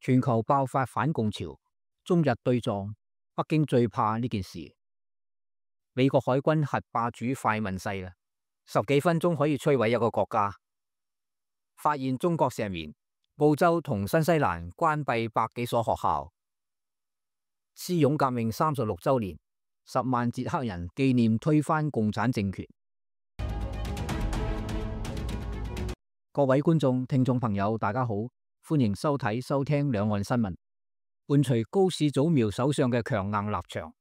全球爆發反共潮，中日對撞，北京最怕呢件事。美國海軍核霸主快問世啦，10幾分鐘可以摧毀一個國家。發現中國石棉，澳洲同新西蘭關閉百幾所學校。義勇革命36週年，10萬捷克人紀念推翻共產政權。各位觀眾、聽眾朋友，大家好，歡迎收睇、收聽兩岸新聞。伴隨高市早苗首相嘅強硬立場，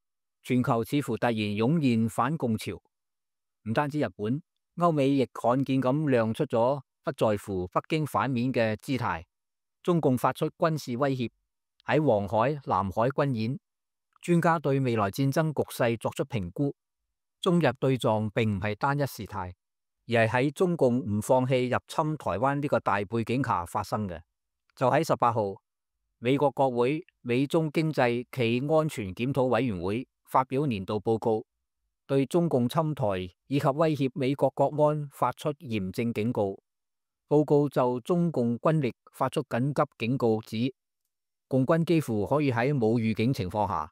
全球似乎突然湧現反共潮。唔單止日本，歐美亦罕見咁亮出咗不在乎北京反面嘅姿態。中共發出軍事威脅，喺黃海、南海軍演。專家對未來戰爭局勢作出評估，中日對撞並唔係單一事態，而係喺中共唔放棄入侵台灣呢個大背景下發生嘅。就喺18號，美國國會美中經濟暨安全檢討委員會發表年度報告，對中共侵台以及威脅美國國安發出嚴正警告。報告就中共軍力發出緊急警告，指共軍幾乎可以喺冇預警情況下，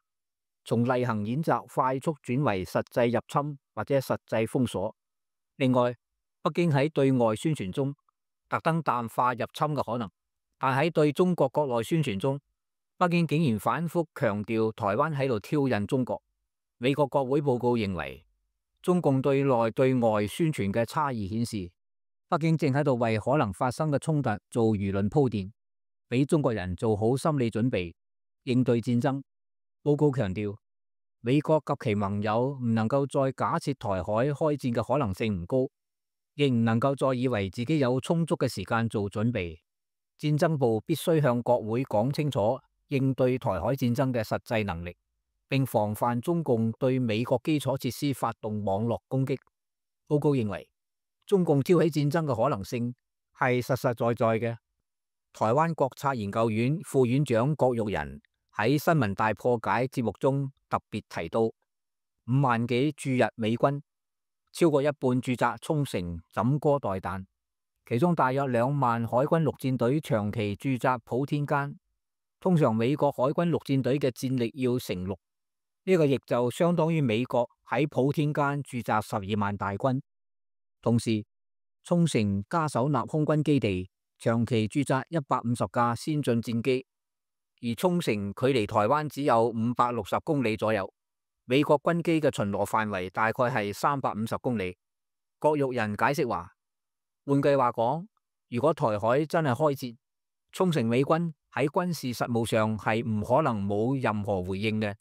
從例行演習快速轉為實際入侵或者實際封鎖。另外，北京喺對外宣傳中特登淡化入侵嘅可能，但喺對中國國內宣傳中，北京竟然反覆強調台灣喺度挑釁中國。美國國會報告認為，中共對內對外宣傳嘅差異顯示，北京正喺度為可能發生嘅衝突做輿論鋪墊，俾中國人做好心理準備，應對戰爭。報告強調，美國及其盟友唔能夠再假設台海開戰嘅可能性唔高，亦唔能夠再以為自己有充足嘅時間做準備。戰爭部必須向國會講清楚應對台海戰爭嘅實際能力，並防範中共對美國基礎設施發動網絡攻擊。報告認為，中共挑起戰爭嘅可能性係實實在在嘅。台灣國策研究院副院長郭玉仁喺新聞大破解節目中特別提到，5萬幾駐日美軍，超過一半駐紮沖繩枕戈待旦，其中大約2萬海軍陸戰隊長期駐紮普天間。通常美國海軍陸戰隊嘅戰力要乘6，呢個亦就相當於美國喺普天間駐紮12萬大軍。同時，沖繩嘉手納空軍基地長期駐紮150架先進戰機，而沖繩距離台灣只有560公里左右，美國軍機嘅巡邏範圍大概係350公里。郭玉仁解釋話，換句話講，如果台海真係開戰，沖繩美軍喺軍事實務上係唔可能冇任何回應嘅。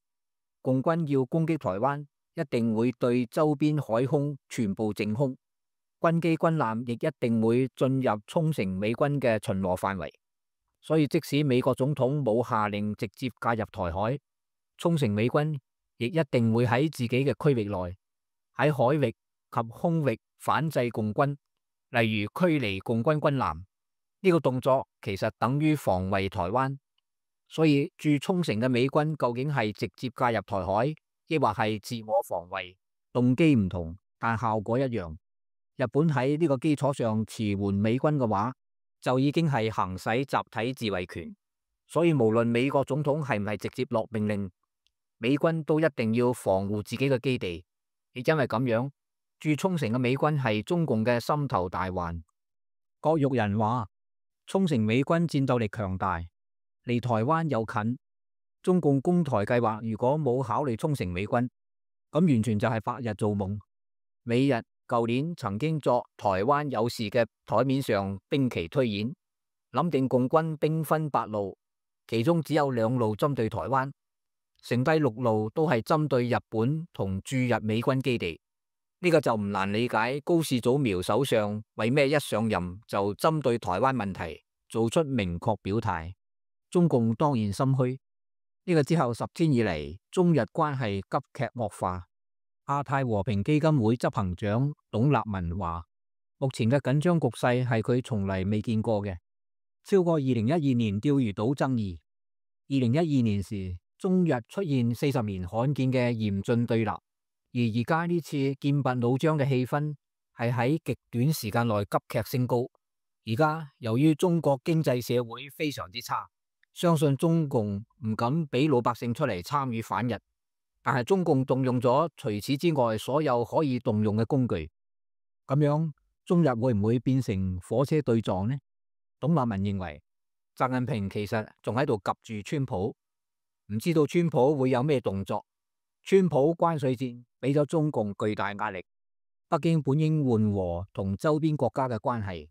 共軍要攻擊台灣，一定會對周邊海空全部淨空，軍機軍艦亦一定會進入沖繩美軍嘅巡邏範圍。所以即使美國總統冇下令直接介入台海，沖繩美軍亦一定會喺自己嘅區域內，喺海域及空域反制共軍，例如驅離共軍軍艦。呢個動作其實等於防衛台灣。所以駐沖繩嘅美軍究竟係直接介入台海，抑或係自我防衛，動機唔同，但效果一樣。日本喺呢個基礎上馳援美軍嘅話，就已經係行使集體自衛權。所以無論美國總統係唔係直接落命令，美軍都一定要防護自己嘅基地。亦因為咁樣，駐沖繩嘅美軍係中共嘅心頭大患。郭玉仁話，沖繩美軍戰鬥力強大，離台灣又近。中共攻台計劃如果冇考慮沖繩美軍，咁完全就係白日做夢。美日舊年曾經作台灣有事嘅台面上兵棋推演，諗定共軍兵分8路，其中只有2路針對台灣，剩低6路都係針對日本同駐日美軍基地。呢個就唔難理解高市早苗首相為咩一上任就針對台灣問題做出明確表態。中共當然心虛。呢個之後10天以嚟，中日關係急劇惡化。亞太和平基金會執行長董立文話，目前嘅緊張局勢係佢從嚟未見過嘅，超過2012年釣魚島爭議。2012年時，中日出現40年罕見嘅嚴峻對立。而而家呢次劍拔弩張嘅氣氛係喺極短時間內急劇升高。而家由於中國經濟社會非常之差，相信中共唔敢俾老百姓出嚟參與反日，但係中共動用咗除此之外所有可以動用嘅工具，咁樣中日會唔會變成火車對撞呢？董立文認為，習近平其實仲喺度夾住川普，唔知道川普會有咩動作。川普關稅戰俾咗中共巨大壓力，北京本應緩和同周邊國家嘅關係，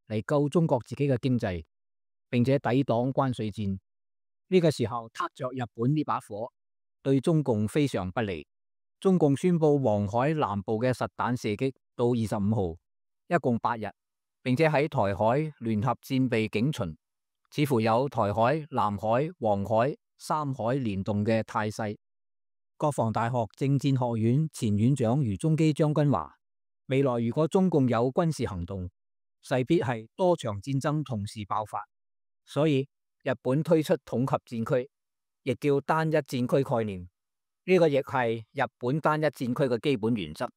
嚟救中國自己嘅經濟，並且抵擋關稅戰。呢個時候撻着日本呢把火，對中共非常不利。中共宣布黃海南部嘅實彈射擊到25號，一共8日，並且喺台海聯合戰備警巡，似乎有台海、南海、黃海三海聯動嘅態勢。國防大學政戰學院前院長余中基將軍話，未來如果中共有軍事行動，勢必係多場戰爭同時爆發，所以日本推出統合戰區，亦叫單一戰區概念。呢個亦係日本單一戰區嘅基本原則。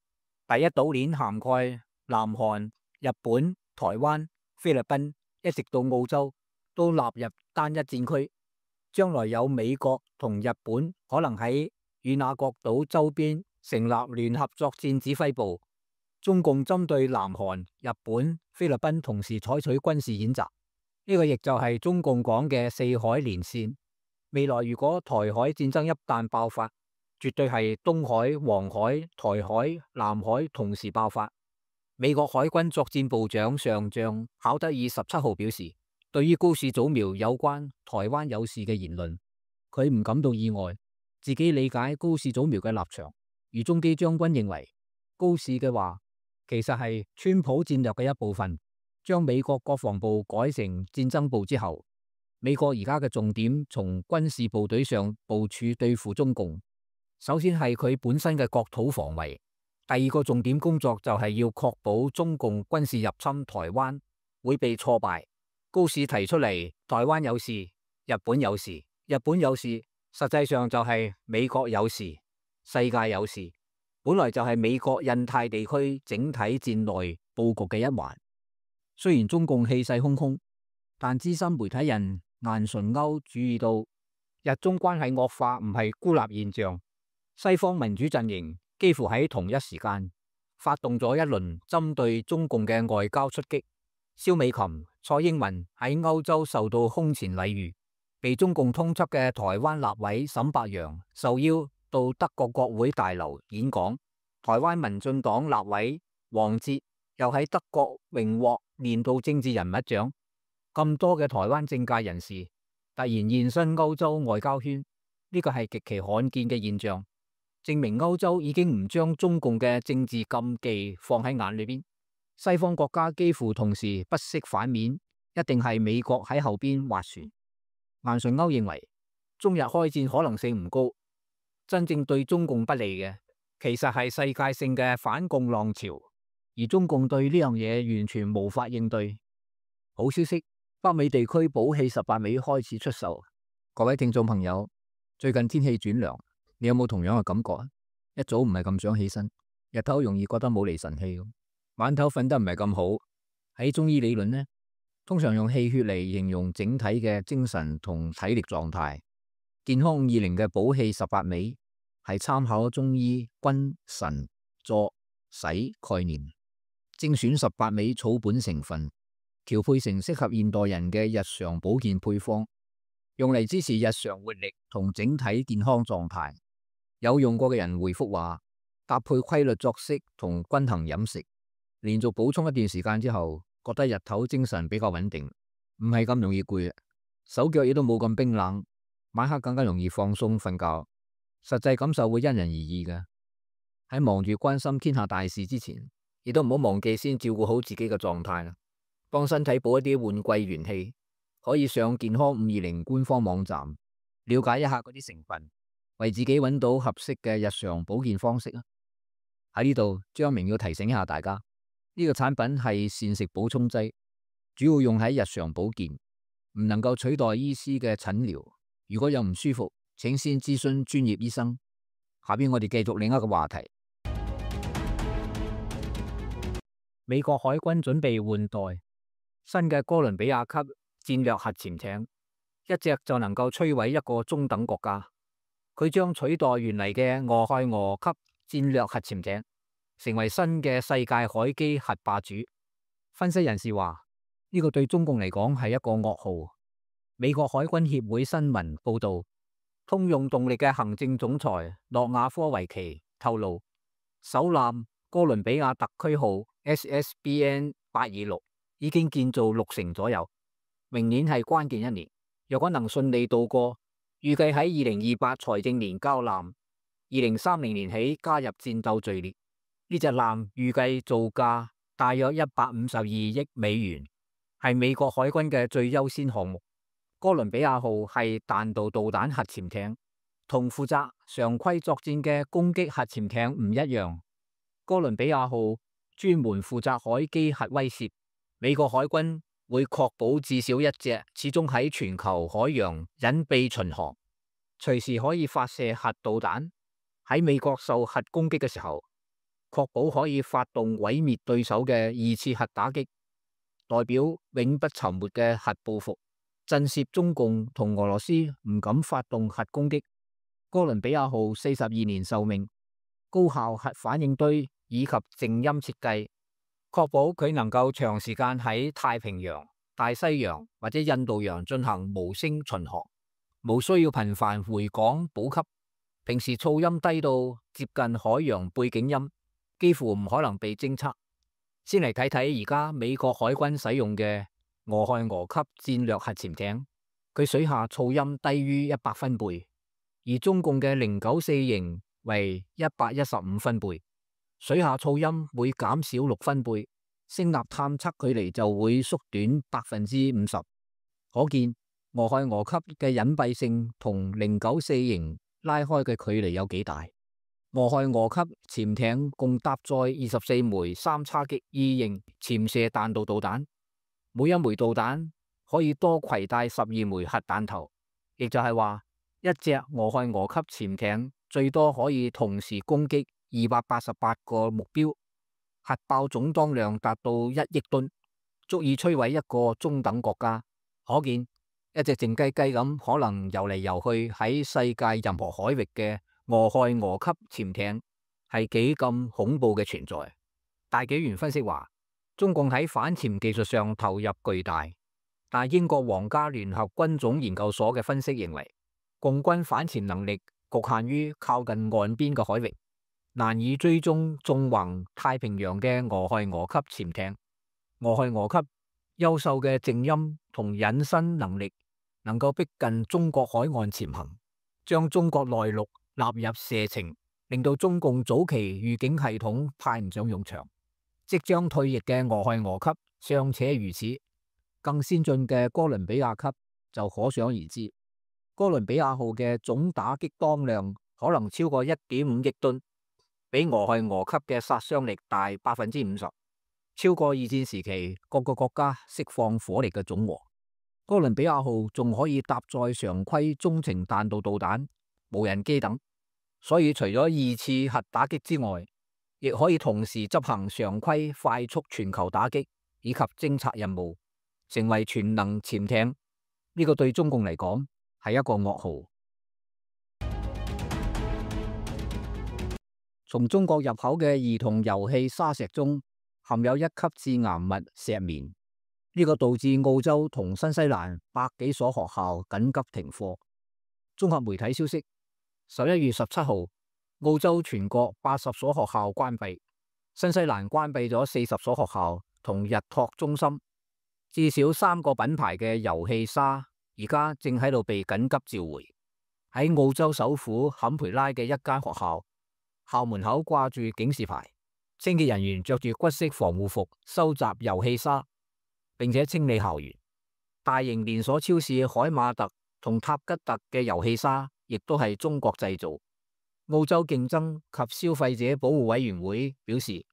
第一島鏈涵蓋南韓、日本、台灣、菲律賓，一直到澳洲，都納入單一戰區。將來有美國同日本可能喺與那國島周邊成立聯合作戰指揮部，中共針對南韓、日本、菲律賓同時採取軍事演習。呢個亦就係中共講嘅四海連線。未來如果台海戰爭一旦爆發，絕對係東海、黃海、台海、南海同時爆發。美國海軍作戰部長上將考德爾17號表示，對於高市早苗有關台灣有事嘅言論，佢唔感到意外，自己理解高市早苗嘅立場。余中基將軍認為，高市嘅話其實係川普戰略嘅一部分。將美國國防部改成戰爭部之後，美國而家嘅重點從軍事部隊上部署對付中共。首先係佢本身嘅國土防衛，第二個重點工作就係要確保中共軍事入侵台灣會被挫敗。高市提出嚟，台灣有事，日本有事，日本有事，實際上就係美國有事，世界有事，本來就係美國印太地區整體戰略布局嘅一環。雖然中共氣勢洶洶，但資深媒體人顏純鈎注意到，日中關係惡化唔係孤立現象。西方民主陣營幾乎喺同一時間發動咗一輪針對中共嘅外交出擊。蕭美琴、蔡英文喺歐洲受到空前禮遇，被中共通緝嘅台灣立委沈伯洋受邀到德國國會大樓演講。台灣民進黨立委黃捷又喺德國榮獲年度政治人物獎。咁多嘅台灣政界人士突然現身歐洲外交圈，呢個係極其罕見嘅現象，證明歐洲已經唔將中共嘅政治禁忌放喺眼裏邊。西方國家幾乎同時不惜反面，一定係美國喺後邊斡旋。顏純鈎認為，中日開戰可能性唔高，真正對中共不利嘅，其實係世界性嘅反共浪潮，而中共對呢樣嘢完全無法應對。好消息，北美地區寶氣18味開始出售。各位聽眾朋友，最近天氣轉涼，你有冇同樣嘅感覺啊？一早唔係咁想起身，日頭容易覺得冇厘神氣，晚頭瞓得唔係咁好。喺中醫理論呢，通常用氣血嚟形容整體嘅精神同體力狀態。健康520嘅寶氣18味係參考中醫君臣佐使概念，精選18味草本成分，調配成適合現代人嘅日常保健配方，用嚟支持日常活力同整體健康狀態。有用過嘅人回覆話，搭配規律作息同均衡飲食，連續補充一段時間之後，覺得日頭精神比較穩定，唔係咁容易攰，手腳亦都冇咁冰冷，晚黑更加容易放鬆瞓覺。實際感受會因人而異嘅。喺忙住關心天下大事之前，亦都唔好忘記先照顧好自己嘅狀態啦，幫身體補一啲換季元氣。可以上健康520官方網站了解一下嗰啲成分，為自己揾到合適嘅日常保健方式啊！喺呢度，張明要提醒一下大家，呢個產品係膳食補充劑，主要用喺日常保健，唔能夠取代醫師嘅診療。如果有唔舒服，請先諮詢專業醫生。下邊我哋繼續另一個話題。美國海軍準備換代新嘅哥倫比亞級戰略核潛艇，一隻就能夠摧毀一個中等國家。佢將取代原嚟嘅俄亥俄級戰略核潛艇，成為新嘅世界海基核霸主。分析人士話，呢個對中共嚟講係一個噩耗。美國海軍協會新聞報道，通用動力嘅行政總裁諾亞科維奇透露，首艦哥倫比亞特區號 SSBN-826 已經建造60%左右，明年係關鍵一年。若果能順利度過，預計喺2028財政年交艦，2030年起加入戰鬥序列。呢隻艦預計造價大約152億美元，係美國海軍嘅最優先項目。哥倫比亞號係彈道導彈核潛艇，同負責常規作戰嘅攻擊核潛艇唔一樣。哥倫比亞號專門負責海基核威懾，美國海軍會確保至少一隻始終喺全球海洋隱秘巡航，隨時可以發射核導彈。喺美國受核攻擊嘅時候，確保可以發動毀滅對手嘅2次核打擊，代表永不沉沒嘅核報復，震懾中共同俄羅斯唔敢發動核攻擊。哥倫比亞號42年壽命，高效核反應堆以及靜音設計，確保佢能夠長時間喺太平洋、大西洋或者印度洋進行無聲巡航，無需要頻繁回港補給。平時噪音低到接近海洋背景音，幾乎唔可能被偵測。先嚟睇睇而家美國海軍使用嘅俄亥俄級戰略核潛艇，佢水下噪音低於100分貝，而中共嘅094型為115分貝，水下噪音每減少6分貝，聲納探測距離就會縮短50%。可見俄亥俄級嘅隱蔽性同094型拉開嘅距離有幾大。俄亥俄級潛艇共搭載24枚3叉戟2型潛射彈道導彈，每一枚導彈可以多攜帶12枚核彈頭，亦就係話一隻俄亥俄級潛艇最多可以同時攻擊288個目標，核爆總當量達到1億噸，足以摧毀一個中等國家。可見一隻靜雞雞咁可能游嚟游去喺世界任何海域嘅俄亥俄級潛艇係幾咁恐怖嘅存在。大紀元分析話，中共喺反潛技術上投入巨大，但英國皇家聯合軍種研究所嘅分析認為，共軍反潛能力局限於靠近岸邊嘅海域，難以追蹤縱橫太平洋嘅俄亥俄級潛艇。俄亥俄級優秀嘅靜音同隱身能力，能夠逼近中國海岸潛行，將中國內陸納入射程，令到中共早期預警系統派唔上用場。即將退役嘅俄亥俄級尚且如此，更先進嘅哥倫比亞級就可想而知。哥倫比亞號嘅總打擊當量可能超過1.5億噸，比俄亥俄級嘅殺傷力大50%，超過二戰時期各個國家釋放火力嘅總和。哥倫比亞號仲可以搭載常規中程彈道導彈、無人機等，所以除咗2次核打擊之外，亦可以同時執行常規快速全球打擊以及偵察任務，成為全能潛艇。呢個對中共嚟講係一個噩耗。從中國入口嘅兒童遊戲沙石中含有1級致癌物石棉，呢個導致澳洲同新西蘭百幾所學校緊急停課。綜合媒體消息，11月17號，澳洲全國80所學校關閉，新西蘭關閉咗40所學校同日托中心。至少3個品牌嘅遊戲沙而家正喺度被緊急召回。喺澳洲首府坎培拉嘅一間學校，校門口掛住警示牌，清潔人員着住骨色防護服收集遊戲沙，並且清理校園。大型連鎖超市海馬特同塔吉特嘅遊戲沙亦都係中國製造。澳洲競爭及消費者保護委員會表示，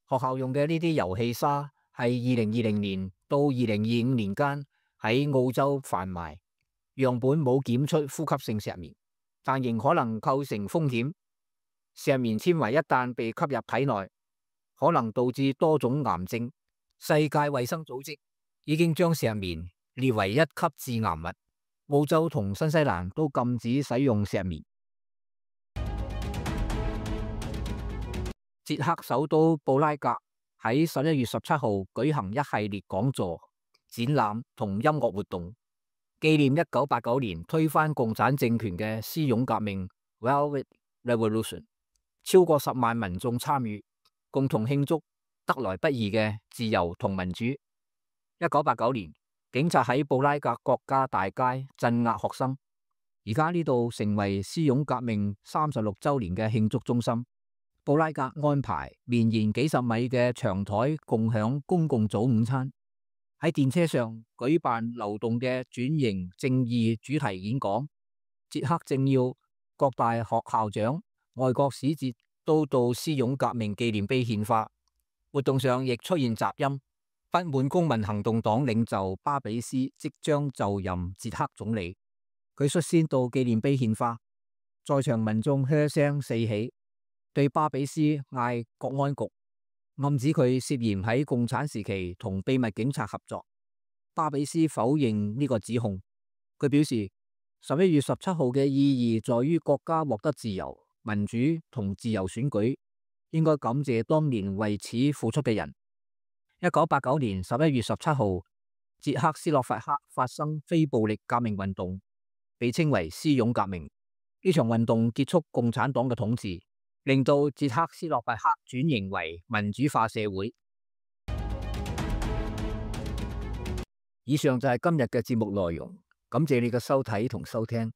學校用嘅呢啲遊戲沙係2020年到2025年間喺澳洲販賣，樣本冇檢出呼吸性石棉，但仍可能構成風險。石棉纖維一旦被吸入體內，可能導致多種癌症。世界衛生組織已經將石棉列為1級致癌物。澳洲同新西蘭都禁止使用石棉。捷克首都布拉格喺11月17號舉行一系列講座、展覽同音樂活動，紀念1989年推翻共產政權嘅絲絨革命 （Velvet Revolution）。超過10萬民眾參與，共同慶祝得來不易嘅自由同民主。1989年，警察喺布拉格國家大街鎮壓學生，而家呢度成為絲絨革命36週年嘅慶祝中心。布拉格安排綿延幾十米嘅長台共享公共早午餐，喺電車上舉辦流動嘅轉型正義主題演講。捷克政要、各大學校長、外國使節都到絲絨革命紀念碑獻花。活動上亦出現雜音，不滿公民行動黨領袖巴比斯即將就任捷克總理，佢率先到紀念碑獻花，在場民眾噓聲四起，對巴比斯嗌國安局，暗指佢涉嫌喺共產時期同秘密警察合作。巴比斯否認呢個指控，佢表示11月17號嘅意義在於國家獲得自由、民主同自由選舉，應該感謝當年為此付出嘅人。1989年11月17號，捷克斯洛伐克發生非暴力革命運動，被稱為絲絨革命。呢場運動結束共產黨嘅統治，令到捷克斯洛伐克轉型為民主化社會。以上就係今日嘅節目內容，感謝你嘅收睇同收聽。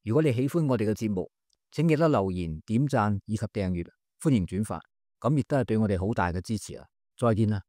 如果你喜歡我哋嘅節目，請記得留言、點讚以及訂閱，歡迎轉發，咁亦都係對我哋好大嘅支持啊！再見啦！